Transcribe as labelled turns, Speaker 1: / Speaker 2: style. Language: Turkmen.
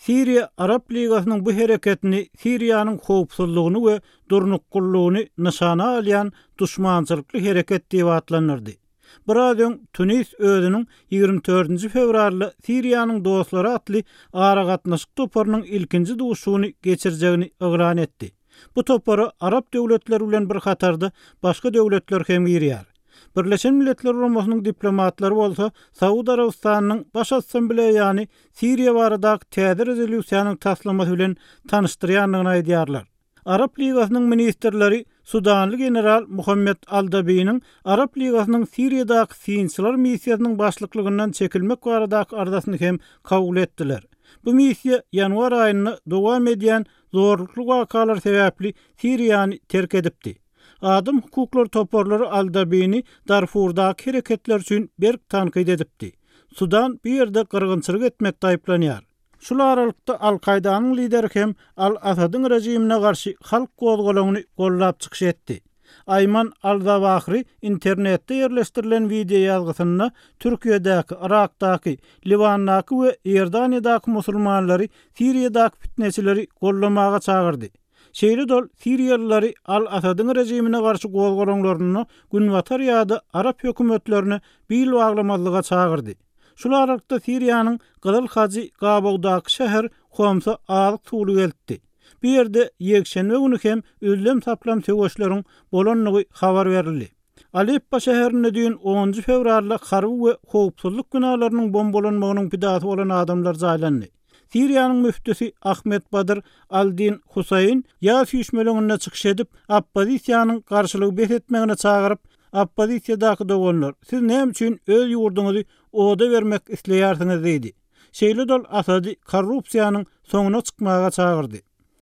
Speaker 1: Siriýa Arap Ligasynyň bu hereketini Siriýanyň howpsuzlygyny we durnuklylygyny nyşana alýan duşmançylykly hereket diýip atlandyrdy. Biraz öň Tunis özüniň 24-nji fewralda Siriýanyň dostlary atly aragatnaşyk toparynyň ilkinji duşuşygyny geçirjegini yglan etdi. Bu topara arap döwletleri bilen bir hatarda başga döwletler hem girýär. Birleşen Milletler Guramasynyň diplomatlary bolsa Saud Arabystanynyň Baş Assambleýany Siriýa baradaky täze rezolýusiýanyň taslamasy bilen tanyşdyrýandygyny aýdýarlar. Arap Ligasynyň ministrleri sudanly general Muhammed al-Dabiniň Arap Ligasynyň Siriýadaky synçylar missiýasynyň başlyklygyndan çekilmek baradaky arzasyny hem kabul etdiler. Bu missiýa ýanwar aýynda dowam edýän zorlukly wakalar sebäpli Siriýany terk edipdi. Adam hukuklary toparlary al-Dabini Darfurdaky hereketler üçin berk tankyt edipdi. Sudan bu ýerde gyrgynçylyk etmekde aýyplanýar. Şul aralykda Al-Kaýdanyň lideri hem Al-Asadyň režimine garşy halk gozgalaňyny goldap çykyş etdi. Aýman al-Zawahri internetde ýerleşdirilen wideoýazgysynda Türkiýedäki, Yrakdaky, Liwandaky we Iordaniýadaky musulmanlary Siriýadaky pitneçileri goldamaga çagyrdy. Şeýle-de ol siriýalylary al-Asadyň režimine garşy gozgalaňlarynda günbatar ýa-da arap hökümetlerine bil baglamazlyga çagyrdy. Şul aralykda Siriýanyň Gyzyl Hajy gabawdaky şäher Homsa azyk-suwly eltdi. Bu ýerde ýekşenbe güni hem üzlem-saplam söweşleriň bolandygy habar berildi. Aleppo şäherinde düýn onunjy fewralda harby we howpsuzlyk binalarynyň bombalanmagynyň pidasy bolan adamlar jaýlandy. Siriýanyň müftüsi Ahmed Badr al-Din Husaýn ýas üýşmeleňinde çykyş edip, oppozisiýanyň garşylygy bes etmegine çagyryp, Oppozisiýadaky doganlar, siz näme üçin öz ýurduňyzy oda bermek isleýärsiňiz diýdi. Şeýle-de ol Asady korrupsiýanyň soňuna çykmaga çagyrdy.